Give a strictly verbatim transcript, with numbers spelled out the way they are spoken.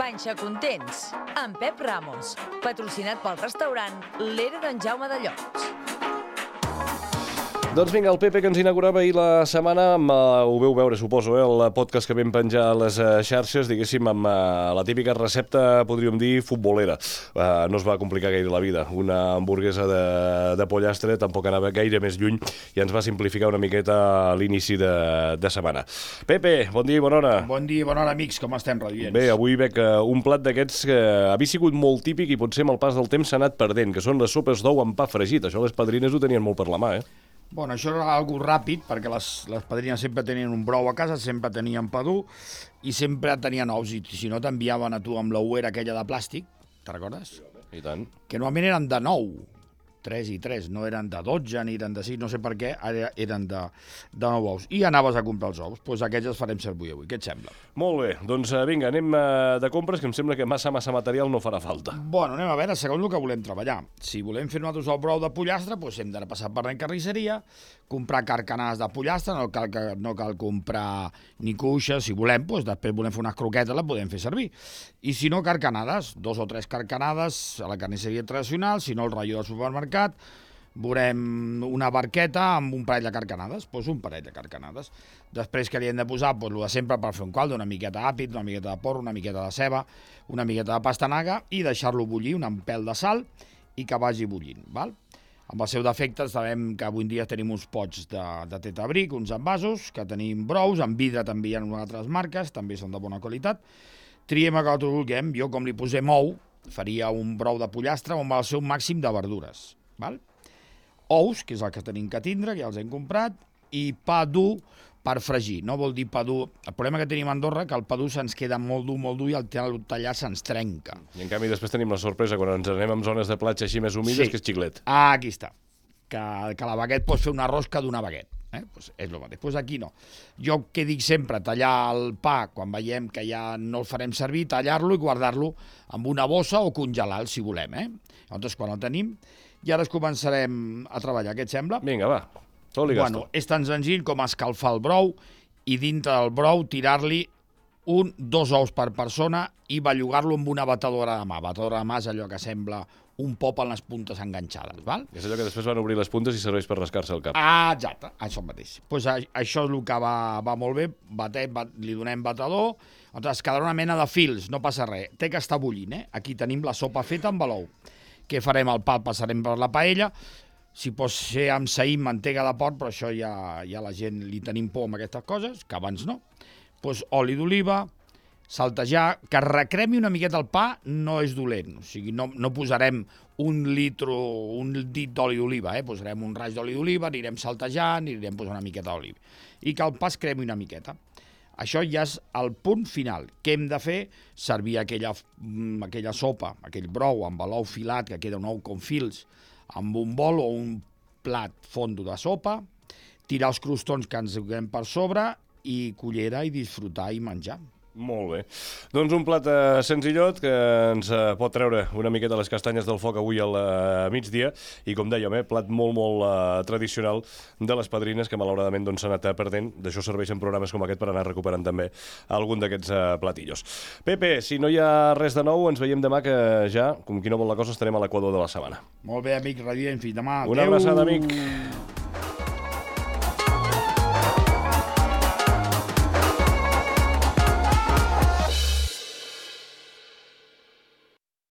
Panxa Contents, amb Pep Ramos, patrocinat pel restaurant l'Era d'en Jaume de Llots. Doncs vinga, el Pepe que ens inaugurava ahir la setmana, amb, uh, ho veu veure, suposo, eh, el podcast que vam penjar a les uh, xarxes, diguéssim, amb uh, la típica recepta, podríem dir, futbolera. Uh, no es va complicar gaire la vida. Una hamburguesa de, de pollastre tampoc anava gaire més lluny i ens va simplificar una miqueta l'inici de, de setmana. Pepe, bon dia i bona hora. Bon dia i bona hora, amics, com estem, radiants? Bé, avui veig uh, un plat d'aquests que havia sigut molt típic i potser amb el pas del temps s'ha anat perdent, que són les sopes d'ou amb pa fregit. Això les padrines ho tenien molt per la mà, eh? Bueno, això era algo ràpid, perquè les, les padrines sempre tenien un brou a casa, sempre tenien pa dur i sempre tenien ous, i si no t'enviaven a tu amb l'ouera aquella de plàstic, te'n recordes? I tant. Que normalment eren de nou, tres i tres, no eren de dotze ni eren de sis, no sé per què, ara eren de, de nou ous. I anaves a comprar els ous, doncs aquests els farem servir avui, què et sembla? Molt bé, doncs vinga, anem de compres, que em sembla que massa, massa material no farà falta. Bueno, anem a veure, segons el que volem treballar. Si volem fer nosaltres el brou de pollastre, doncs hem d'anar passar per la carnisseria, comprar carcanades de pollastre, no cal, no cal comprar ni cuixes, si volem, doncs després volem fer unes croquetes, les podem fer servir. I si no, carcanades, dos o tres carcanades a la carnisseria tradicional, si no el ratllo del supermercat, veurem una barqueta amb un parell de carcanades, doncs un parell de carcanades. Després que li hem de posar, doncs el de sempre per fer un caldo, una miqueta d'àpid, una miqueta de porro, una miqueta de ceba, una miqueta de pastanaga i deixar-lo bullir, un pèl de sal i que vagi bullint, val? Amb els seus defectes sabem que avui en dia tenim uns pots de, de tetabric, uns envasos, que tenim brous, en vidre també hi ha altres marques, també són de bona qualitat. Triem el que nosaltres vulguem, jo com li posem ou, faria un brou de pollastre amb el seu màxim de verdures, val? Ous, que és el que tenim que tindre, que ja els hem comprat, i pa dur per fregir. No vol dir pa dur... El problema que tenim a Andorra que el pa dur se'ns queda molt dur, molt dur i al tallar se'ns trenca. I en canvi després tenim la sorpresa quan ens anem en zones de platja així més humides, sí, que és xiclet. Ah, aquí està. Que, que la baguet pots fer una rosca d'una baguet. Eh? Pues és el mateix. Pues aquí no. Jo que dic sempre, tallar el pa quan veiem que ja no el farem servir, tallar-lo i guardar-lo amb una bossa o congelar-lo si volem. Eh? Llavors quan el tenim, i ara es començarem a treballar. Què et sembla? Vinga, va. Tot li gasto. Bueno, és tan senzill com escalfar el brou i dintre del brou tirar-li un, dos ous per persona i bellugar-lo amb una batedora de mà. Batedora de mà és allò que sembla un pop en les puntes enganxades, val? És allò que després van obrir les puntes i serveix per rascar-se el cap. Ah, exacte, això mateix. Pues això és el que va, va molt bé, batet, bat, li donem batedor, es quedarà una mena de fils, no passa res. Té que estar bullint, eh? Aquí tenim la sopa feta amb l'ou. Què farem? El pa el passarem per la paella, si pot ser amb saïm, mantega de porc, però això ja, ja la gent li tenim por amb aquestes coses, que abans no. Pues oli d'oliva, saltejar, que recremi una miqueta el pa no és dolent, o sigui, no, no posarem un litro, un dit d'oli d'oliva, eh? Posarem un raig d'oli d'oliva, anirem saltejant, anirem posant una miqueta d'oliva, i que el pa es cremi una miqueta. Això ja és el punt final. Què hem de fer? Servir aquella, aquella sopa, aquell brou amb l'ou filat, que queda un ou com fils, amb un bol o un plat fondo de sopa, tirar els crostons que ens donem per sobre i cullera i disfrutar i menjar. Molt bé. Doncs un plat eh, senzillot que ens eh, pot treure una miqueta les castanyes del foc avui al eh, migdia i, com dèiem, eh, plat molt, molt eh, tradicional de les padrines que malauradament doncs, s'ha anat perdent. D'això serveixen programes com aquest per anar recuperant també algun d'aquests eh, platillos. Pepe, si no hi ha res de nou, ens veiem demà, que ja, com qui no vol la cosa, estarem a l'equador de la setmana. Molt bé, amic, radiant, fins demà. Una abraçada, amic.